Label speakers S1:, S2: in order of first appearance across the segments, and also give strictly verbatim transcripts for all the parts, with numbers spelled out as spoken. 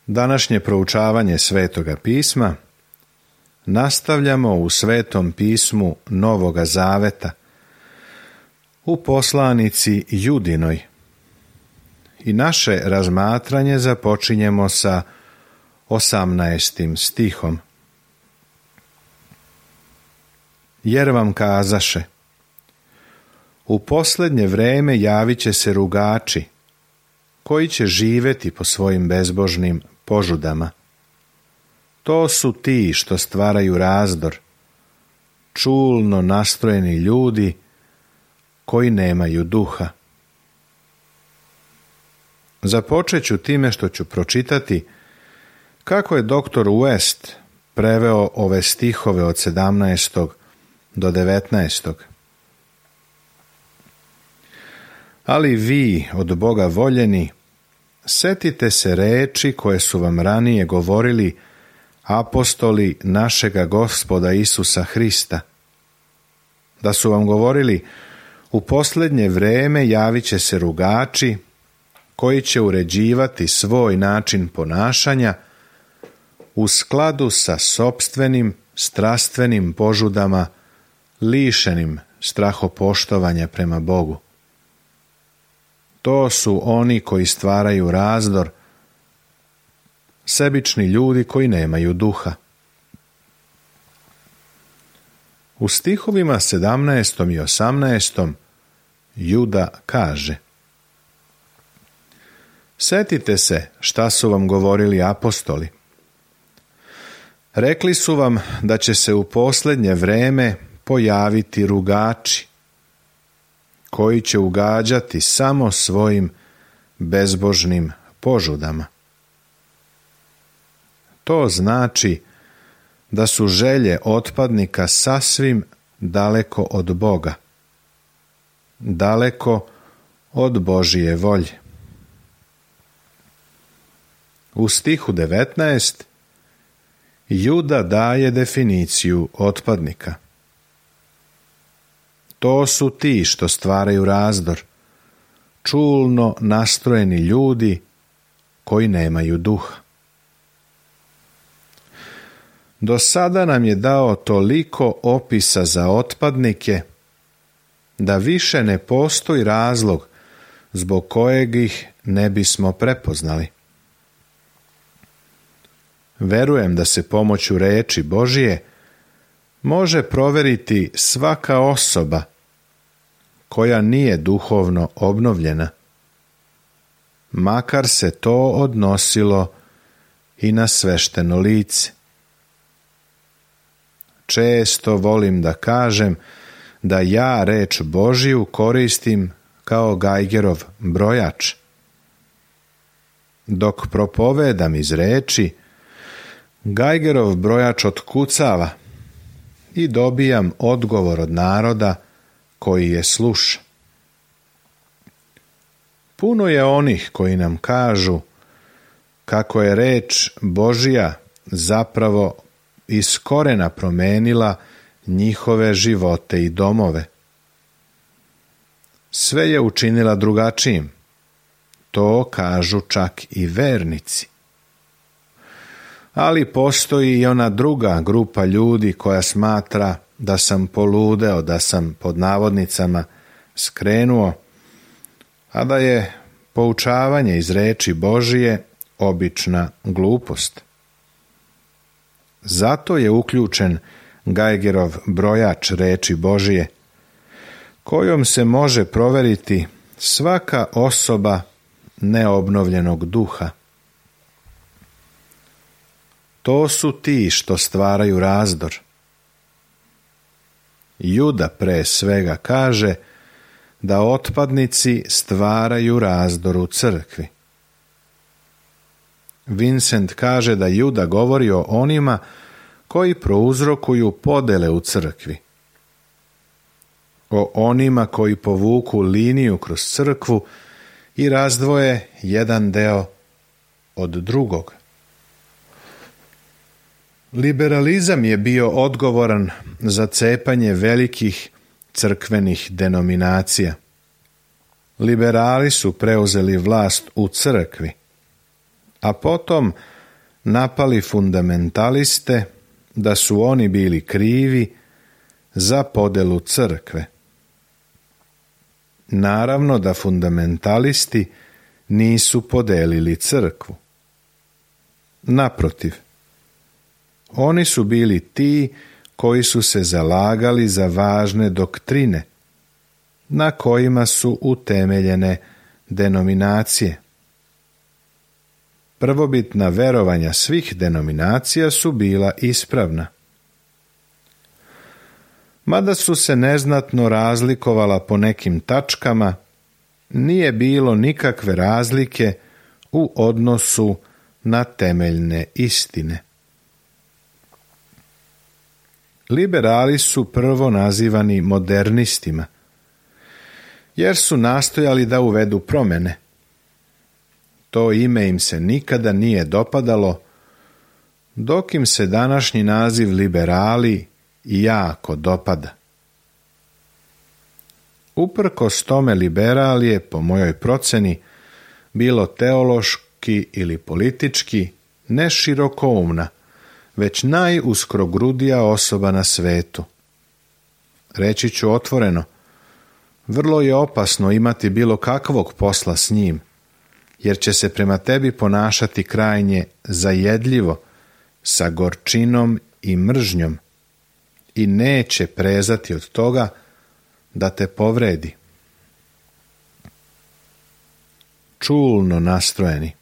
S1: Današnje proučavanje Svetoga pisma nastavljamo u Svetom pismu Novoga Zaveta, u poslanici Judinoj. I naše razmatranje započinjemo sa osamnaestim stihom. Jer vam kazaše: u posljednje vreme javit će se rugači, koji će živjeti po svojim bezbožnim požudama. To su ti što stvaraju razdor, čulno nastrojeni ljudi koji nemaju duha. Započet ću time što ću pročitati kako je doktor West preveo ove stihove od sedamnaestog do devetnaestog. Ali vi, od Boga voljeni, setite se reči koje su vam ranije govorili apostoli našega Gospoda Isusa Hrista, da su vam govorili: u posljednje vreme javit će se rugači, koji će uređivati svoj način ponašanja u skladu sa sopstvenim strastvenim požudama, lišenim strahopoštovanja prema Bogu. To su oni koji stvaraju razdor, sebični ljudi koji nemaju duha. U stihovima sedamnaestom i osamnaestom Juda kaže: setite se šta su vam govorili apostoli. Rekli su vam da će se u posljednje vreme pojaviti rugači, koji će ugađati samo svojim bezbožnim požudama. To znači da su želje otpadnika sasvim daleko od Boga, daleko od Božije volje. U stihu devetnaest Juda daje definiciju otpadnika. To su ti što stvaraju razdor, čulno nastrojeni ljudi koji nemaju duha. Do sada nam je dao toliko opisa za otpadnike da više ne postoji razlog zbog kojeg ih ne bismo prepoznali. Verujem da se pomoću reči Božije može proveriti svaka osoba koja nije duhovno obnovljena, makar se to odnosilo i na svešteno lice. Često volim da kažem da ja reč Božiju koristim kao Geigerov brojač. Dok propovedam iz reči, Geigerov brojač otkucava i dobijam odgovor od naroda koji je sluša. Puno je onih koji nam kažu kako je reč Božja zapravo iz korena promenila njihove živote i domove. Sve je učinila drugačijim. To kažu čak i vernici. Ali postoji i ona druga grupa ljudi koja smatra da sam poludeo, da sam pod navodnicama skrenuo, a da je poučavanje iz reči Božije obična glupost. Zato je uključen Geigerov brojač reči Božije, kojom se može proveriti svaka osoba neobnovljenog duha. To su ti što stvaraju razdor. Juda pre svega kaže da otpadnici stvaraju razdor u crkvi. Vincent kaže da Juda govori o onima koji prouzrokuju podele u crkvi, o onima koji povuku liniju kroz crkvu i razdvoje jedan deo od drugog. Liberalizam je bio odgovoran za cepanje velikih crkvenih denominacija. Liberali su preuzeli vlast u crkvi, a potom napali fundamentaliste da su oni bili krivi za podelu crkve. Naravno da fundamentalisti nisu podelili crkvu. Naprotiv, oni su bili ti koji su se zalagali za važne doktrine na kojima su utemeljene denominacije. Prvobitna verovanja svih denominacija su bila ispravna. Mada su se neznatno razlikovala po nekim tačkama, nije bilo nikakve razlike u odnosu na temeljne istine. Liberali su prvo nazivani modernistima, jer su nastojali da uvedu promjene. To ime im se nikada nije dopadalo, dok im se današnji naziv liberali jako dopada. Uprkos tome liberal je, po mojoj proceni, bilo teološki ili politički ne širokoumna, već najuskrogrudija osoba na svetu. Reći ću otvoreno, vrlo je opasno imati bilo kakvog posla s njim, jer će se prema tebi ponašati krajnje zajedljivo, sa gorčinom i mržnjom, i neće prezati od toga da te povredi. Čulno nastrojeni.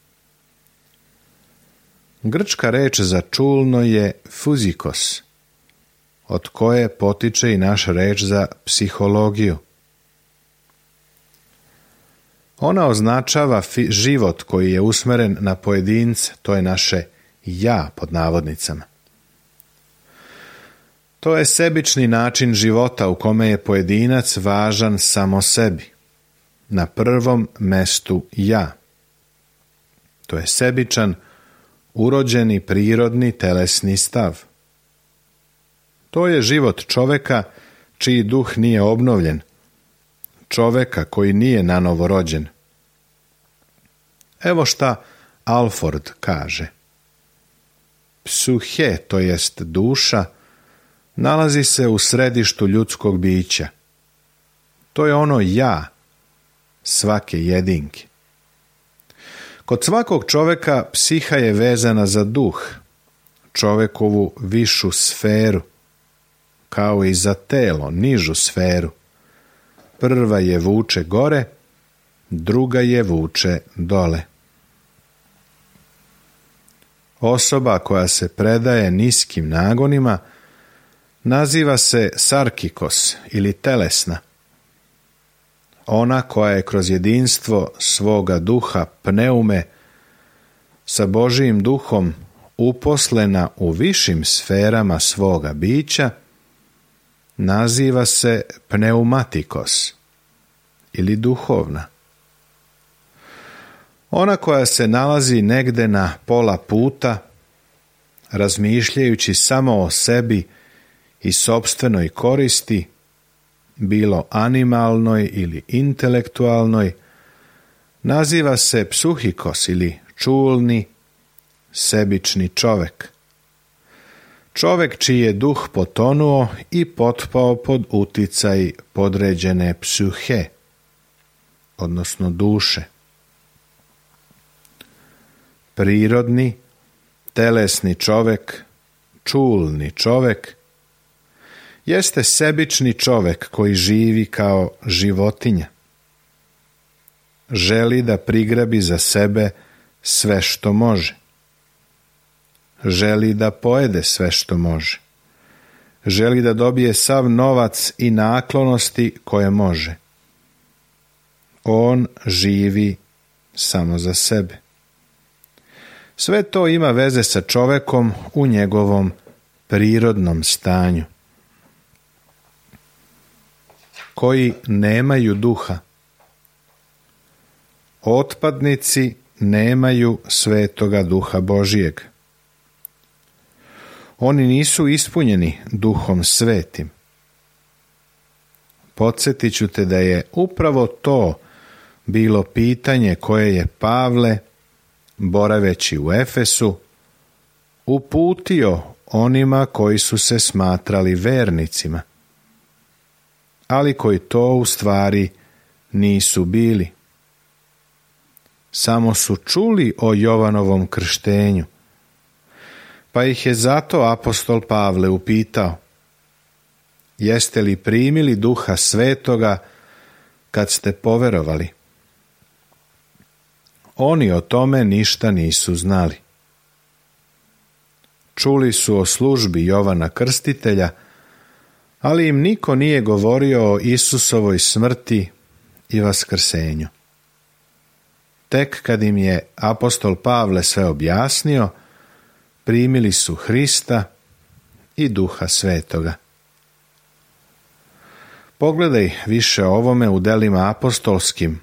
S1: Grčka reč za čulno je fuzikos, od koje potiče i naša reč za psihologiju. Ona označava fi- život koji je usmeren na pojedince, to je naše ja pod navodnicama. To je sebični način života u kome je pojedinac važan samo sebi. Na prvom mestu ja. To je sebičan, urođeni, prirodni, telesni stav. To je život čoveka čiji duh nije obnovljen, čoveka koji nije nanovo rođen. Evo šta Alford kaže. Psuhe, to jest duša, nalazi se u središtu ljudskog bića. To je ono ja, svake jedinke. Kod svakog čoveka psiha je vezana za duh, čovekovu višu sferu, kao i za telo, nižu sferu. Prva je vuče gore, druga je vuče dole. Osoba koja se predaje niskim nagonima naziva se sarkikos ili telesna. Ona koja je kroz jedinstvo svoga duha pneume sa Božijim duhom uposlena u višim sferama svoga bića naziva se pneumatikos ili duhovna. Ona koja se nalazi negde na pola puta, razmišljajući samo o sebi i sopstvenoj koristi, bilo animalnoj ili intelektualnoj, naziva se psuhikos ili čulni, sebični čovek. Čovek čiji je duh potonuo i potpao pod uticaj podređene psuhe, odnosno duše. Prirodni, telesni čovek, čulni čovek, jeste sebični čovek koji živi kao životinja. Želi da prigrabi za sebe sve što može. Želi da pojede sve što može. Želi da dobije sav novac i naklonosti koje može. On živi samo za sebe. Sve to ima veze sa čovekom u njegovom prirodnom stanju. Koji nemaju duha. Otpadnici nemaju svetoga duha Božijeg. Oni nisu ispunjeni duhom svetim. Podsjetit ću te da je upravo to bilo pitanje koje je Pavle boraveći u Efesu, uputio onima koji su se smatrali vernicima, ali koji to u stvari nisu bili. Samo su čuli o Jovanovom krštenju, pa ih je zato apostol Pavle upitao: jeste li primili Duha Svetoga kad ste poverovali? Oni o tome ništa nisu znali. Čuli su o službi Jovana Krstitelja, ali im niko nije govorio o Isusovoj smrti i vaskrsenju. Tek kad im je apostol Pavle sve objasnio, primili su Hrista i Duha Svetoga. Pogledaj više o ovome u delima apostolskim,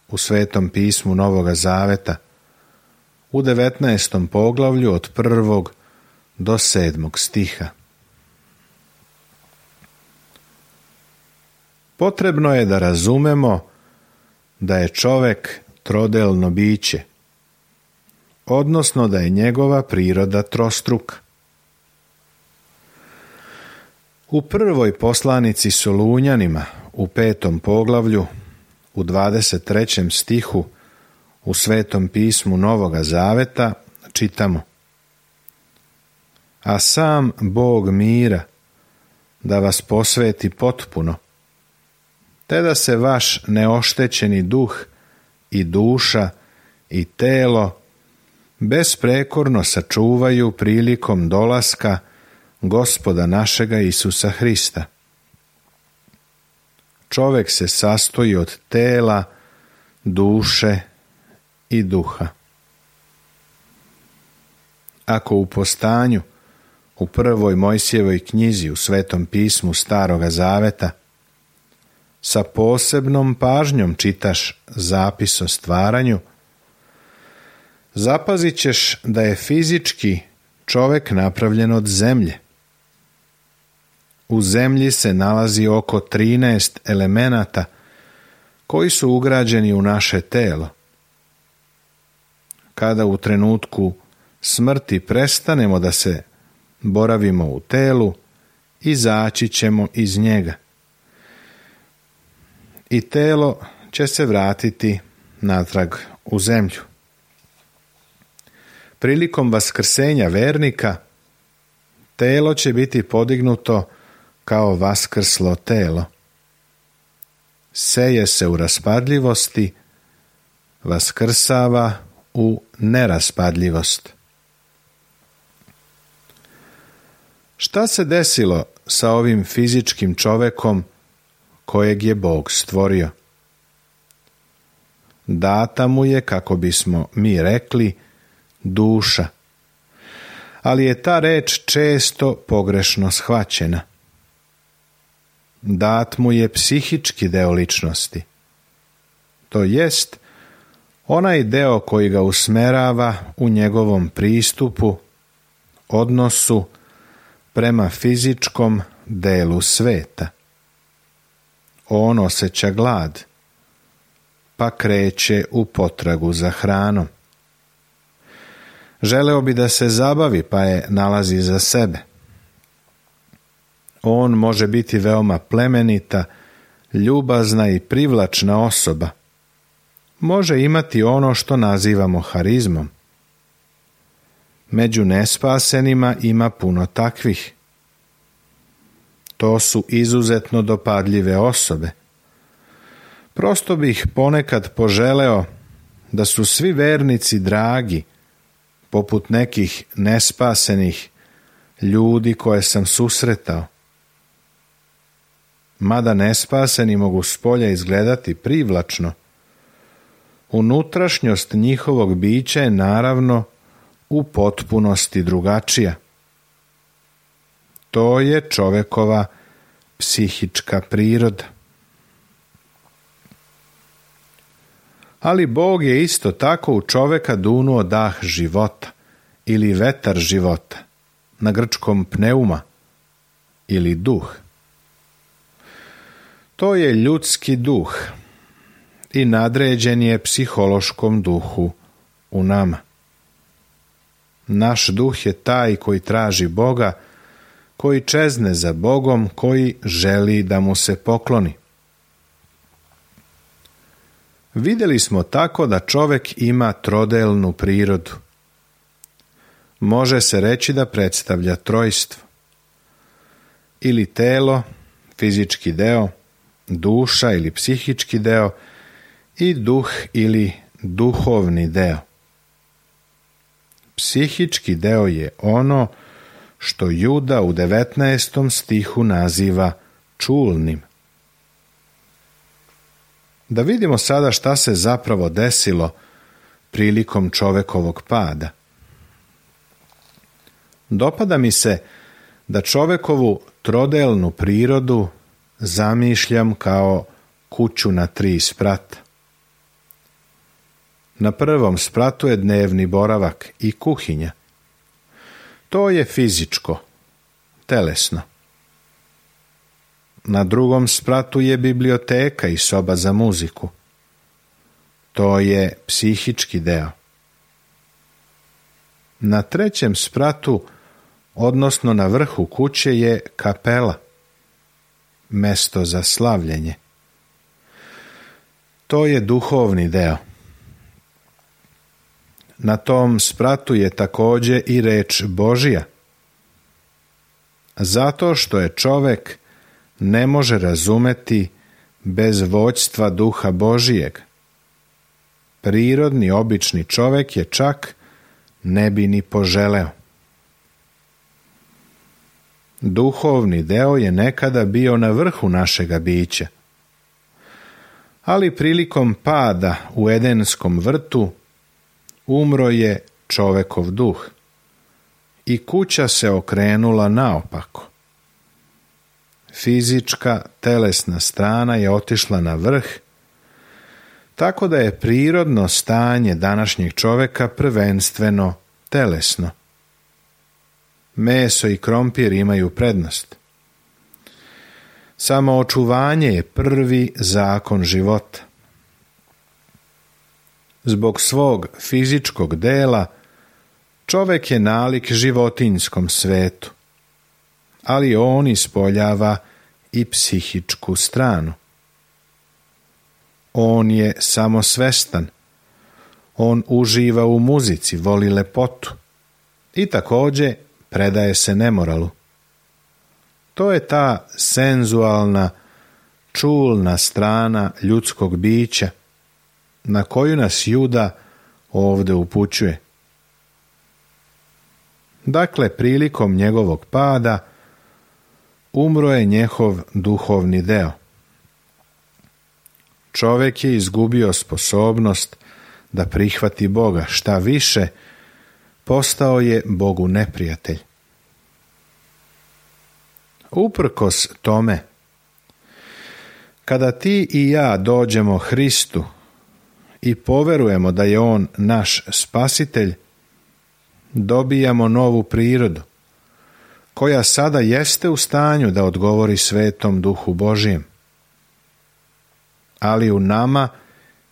S1: u Svetom pismu Novoga Zaveta, u devetnaestom poglavlju od prvog do sedmog stiha. Potrebno je da razumemo da je čovek trodelno biće, odnosno da je njegova priroda trostruka. U prvoj poslanici Solunjanima, u petom poglavlju, u dvadeset trećem stihu, u Svetom pismu Novoga Zaveta, čitamo: a sam Bog mira da vas posveti potpuno, te da se vaš neoštećeni duh i duša i telo besprekorno sačuvaju prilikom dolaska Gospoda našega Isusa Hrista. Čovek se sastoji od tela, duše i duha. Ako u postanju, u prvoj Mojsijevoj knjizi u Svetom pismu Staroga Zaveta, sa posebnom pažnjom čitaš zapis o stvaranju, zapazit ćeš da je fizički čovek napravljen od zemlje. U zemlji se nalazi oko trinaest elemenata koji su ugrađeni u naše telo. Kada u trenutku smrti prestanemo da se boravimo u telu, izaći ćemo iz njega. I telo će se vratiti natrag u zemlju. Prilikom vaskrsenja vernika, telo će biti podignuto kao vaskrslo telo. Seje se u raspadljivosti, vaskrsava u neraspadljivost. Šta se desilo sa ovim fizičkim čovekom kojeg je Bog stvorio? Data mu je, kako bismo mi rekli, duša, ali je ta reč često pogrešno shvaćena. Dat mu je psihički deo ličnosti, to jest onaj deo koji ga usmerava u njegovom pristupu, odnosu prema fizičkom delu sveta. On osjeća glad, pa kreće u potragu za hranom. Želeo bi da se zabavi, pa je nalazi za sebe. On može biti veoma plemenita, ljubazna i privlačna osoba. Može imati ono što nazivamo harizmom. Među nespasenima ima puno takvih. To su izuzetno dopadljive osobe. Prosto bih ponekad poželeo da su svi vernici dragi, poput nekih nespasenih ljudi koje sam susretao. Mada nespaseni mogu spolja izgledati privlačno, unutrašnjost njihovog bića je naravno u potpunosti drugačija. To je čovekova psihička priroda. Ali Bog je isto tako u čoveka dunuo dah života ili vetar života, na grčkom pneuma ili duh. To je ljudski duh i nadređen je psihološkom duhu u nama. Naš duh je taj koji traži Boga, koji čezne za Bogom, koji želi da mu se pokloni. Vidjeli smo tako da čovjek ima trodelnu prirodu. Može se reći da predstavlja trojstvo. Ili telo, fizički deo, duša ili psihički deo i duh ili duhovni deo. Psihički deo je ono što Juda u devetnaestom stihu naziva čulnim. Da vidimo sada šta se zapravo desilo prilikom čovekovog pada. Dopada mi se da čovekovu trodelnu prirodu zamišljam kao kuću na tri sprata. Na prvom spratu je dnevni boravak i kuhinja. To je fizičko, telesno. Na drugom spratu je biblioteka i soba za muziku. To je psihički deo. Na trećem spratu, odnosno na vrhu kuće, je kapela, mesto za slavljenje. To je duhovni deo. Na tom spratu je također i reč Božja. Zato što je čovjek ne može razumeti bez vođstva Duha Božijeg. Prirodni, obični čovjek je čak ne bi ni poželeo. Duhovni deo je nekada bio na vrhu našega bića. Ali prilikom pada u Edenskom vrtu umro je čovekov duh i kuća se okrenula naopako. Fizička, telesna strana je otišla na vrh, tako da je prirodno stanje današnjeg čoveka prvenstveno telesno. Meso i krompir imaju prednost. Samo očuvanje je prvi zakon života. Zbog svog fizičkog dela čovjek je nalik životinjskom svetu, ali on ispoljava i psihičku stranu. On je samosvestan, on uživa u muzici, voli lepotu i također predaje se nemoralu. To je ta senzualna, čulna strana ljudskog bića na koju nas Juda ovdje upućuje. Dakle, prilikom njegovog pada umro je njegov duhovni deo. Čovjek je izgubio sposobnost da prihvati Boga, šta više, postao je Bogu neprijatelj. Uprkos tome, kada ti i ja dođemo Hristu i poverujemo da je On naš spasitelj, dobijamo novu prirodu, koja sada jeste u stanju da odgovori Svetom Duhu Božijem. Ali u nama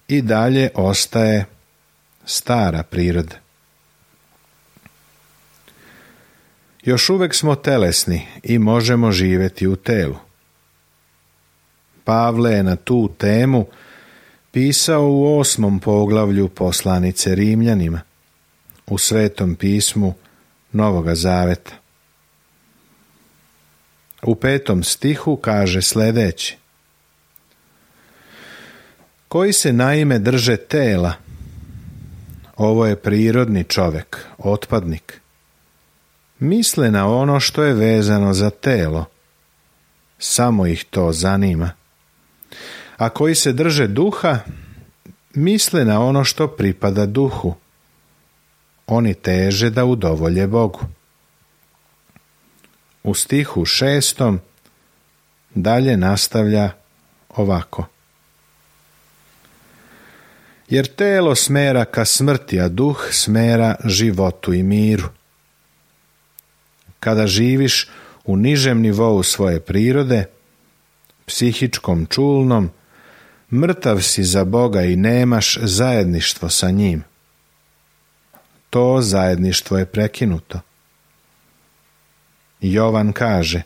S1: i dalje ostaje stara priroda. Još uvijek smo telesni i možemo živjeti u telu. Pavle je na tu temu pisao u osmom poglavlju poslanice Rimljanima, u Svetom pismu Novoga Zaveta. U petom stihu kaže sljedeće: koji se naime drže tela, ovo je prirodni čovjek, otpadnik, misle na ono što je vezano za telo, samo ih to zanima. A koji se drže duha, misle na ono što pripada duhu, oni teže da udovolje Bogu. U stihu šestom dalje nastavlja ovako: jer telo smera ka smrti, a duh smera životu i miru. Kada živiš u nižem nivou svoje prirode, psihičkom, čulnom, mrtav si za Boga i nemaš zajedništvo sa njim. to zajedništvo je prekinuto. Jovan kaže,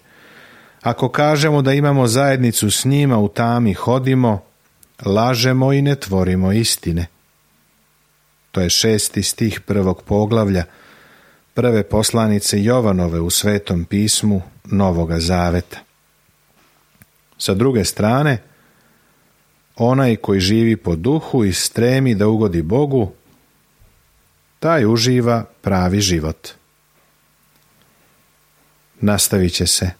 S1: ako kažemo da imamo zajednicu s njima, u tami hodimo, lažemo i ne tvorimo istine. To je šesti stih prvog poglavlja prve poslanice Jovanove u Svetom pismu Novoga Zaveta. Sa druge strane, onaj koji živi po duhu i stremi da ugodi Bogu, taj uživa pravi život. Nastavit će se